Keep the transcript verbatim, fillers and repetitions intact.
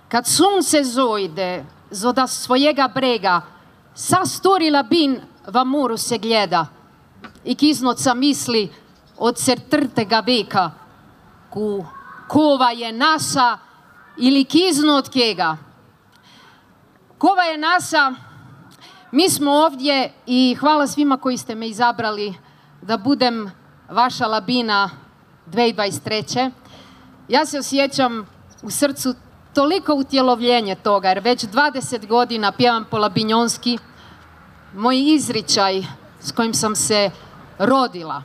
Kad sunce zojde zoda svojega brega, sa stori labin v moru se gleda i kiznoca misli od četrtega veka, ku kova je naša ili kizno od kega. Kova je naša, mi smo ovdje i hvala svima koji ste me izabrali da budem vaša labina dve tisuće dvadeset treće. Ja se osjećam u srcu toliko utjelovljenje toga, jer već dvadeset godina pjevam po labinjonski, moj izričaj s kojim sam se rodila.